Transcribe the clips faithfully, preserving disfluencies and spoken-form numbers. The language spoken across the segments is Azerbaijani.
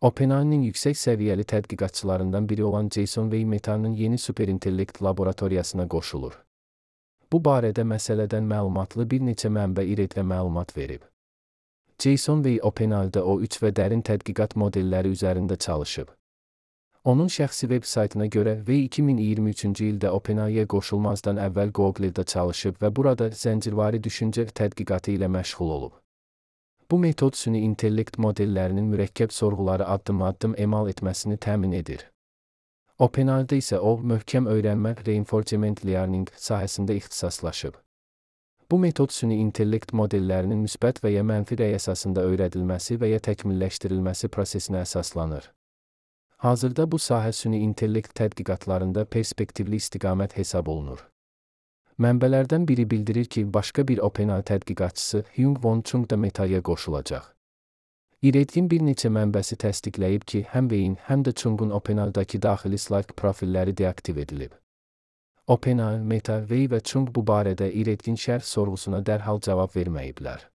OpenAI'nin yüksək səviyyəli tədqiqatçılarından biri olan Jason Wei Meta'nın yeni superintellekt laboratoriyasına qoşulur. Bu barədə məsələdən məlumatlı bir neçə mənbə İRED-ə məlumat verib. Jason Wei OpenAI-da O üç və dərin tədqiqat modelləri üzərində çalışıb. Onun şəxsi veb-saytına görə Wei iki min iyirmi üçüncü ildə OpenAI-yə qoşulmazdan əvvəl Google-da çalışıb və burada zəncirvari düşüncə tədqiqatı ilə məşğul olub. Bu metod süni intellekt modellərinin mürəkkəb sorğuları addım-addım emal etməsini təmin edir. OpenAI-da isə o, möhkəm öyrənmə reinforcement learning sahəsində ixtisaslaşıb. Bu metod süni intellekt modellərinin müsbət və ya mənfi rəy əsasında öyrədilməsi və ya təkmilləşdirilməsi prosesinə əsaslanır. Hazırda bu sahə süni intellekt tədqiqatlarında perspektivli istiqamət hesab olunur. Mənbələrdən biri bildirir ki, başqa bir OpenAI tədqiqatçısı Hyung-Won Chung da Meta'ya qoşulacaq. İRED-in bir neçə mənbəsi təsdiqləyib ki, həm Wei-in, həm də Chung-un OpenAI-dakı daxili Slack profilləri deaktiv edilib. OpenAI, Meta, Wei və Chung bu barədə İRED-in şərh sorğusuna dərhal cavab verməyiblər.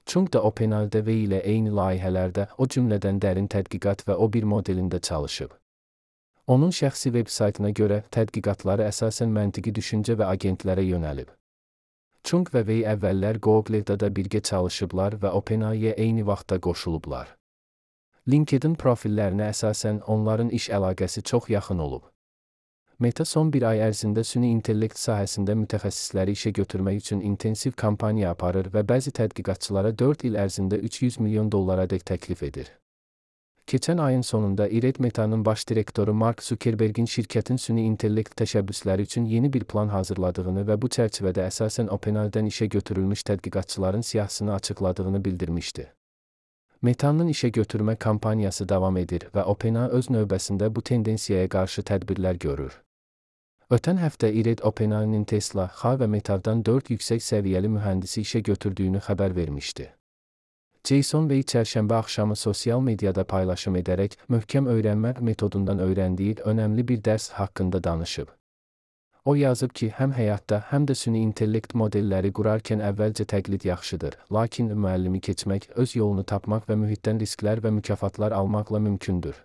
Chung da OpenAI-da Wei ilə eyni layihələrdə, o cümlədən dərin tədqiqat və O bir modelində çalışıb. Onun şəxsi veb-saytına görə tədqiqatları əsasən məntiqi düşüncə və agentlərə yönəlib. Chung və Wei əvvəllər Google-da da birgə çalışıblar və OpenAI-yə eyni vaxtda qoşulublar. LinkedIn profillərinə əsasən onların iş əlaqəsi çox yaxın olub. Meta son bir ay ərzində süni intellekt sahəsində mütəxəssisləri işə götürmək üçün intensiv kampaniya aparır və bəzi tədqiqatçılara dörd il ərzində üç yüz milyon dollaradək təklif edir. Keçən ayın sonunda İRED Meta'nın baş direktoru Mark Zuckerberg'in şirkətin süni intellekt təşəbbüsləri üçün yeni bir plan hazırladığını və bu çərçivədə əsasən OpenAI-dən işə götürülmüş tədqiqatçıların siyahısını açıqladığını bildirmişdi. Meta'nın işə götürmə kampaniyası davam edir və OpenAI öz növbəsində bu tendensiyaya qarşı tədbirlər görür. Ötən həftə İRED OpenAI-nin Tesla, X və Meta'dan dörd yüksək səviyyəli mühəndisi işə götürdüyünü xəbər vermişdi. Jason Wei çərşənbə axşamı sosial mediada paylaşım edərək möhkəm öyrənmə metodundan öyrəndiyi önəmli bir dərs haqqında danışıb. O yazıb ki, həm həyatda, həm də süni intellekt modelləri qurarkən əvvəlcə təqlid yaxşıdır, lakin müəllimi keçmək, öz yolunu tapmaq və mühitdən risklər və mükafatlar almaqla mümkündür.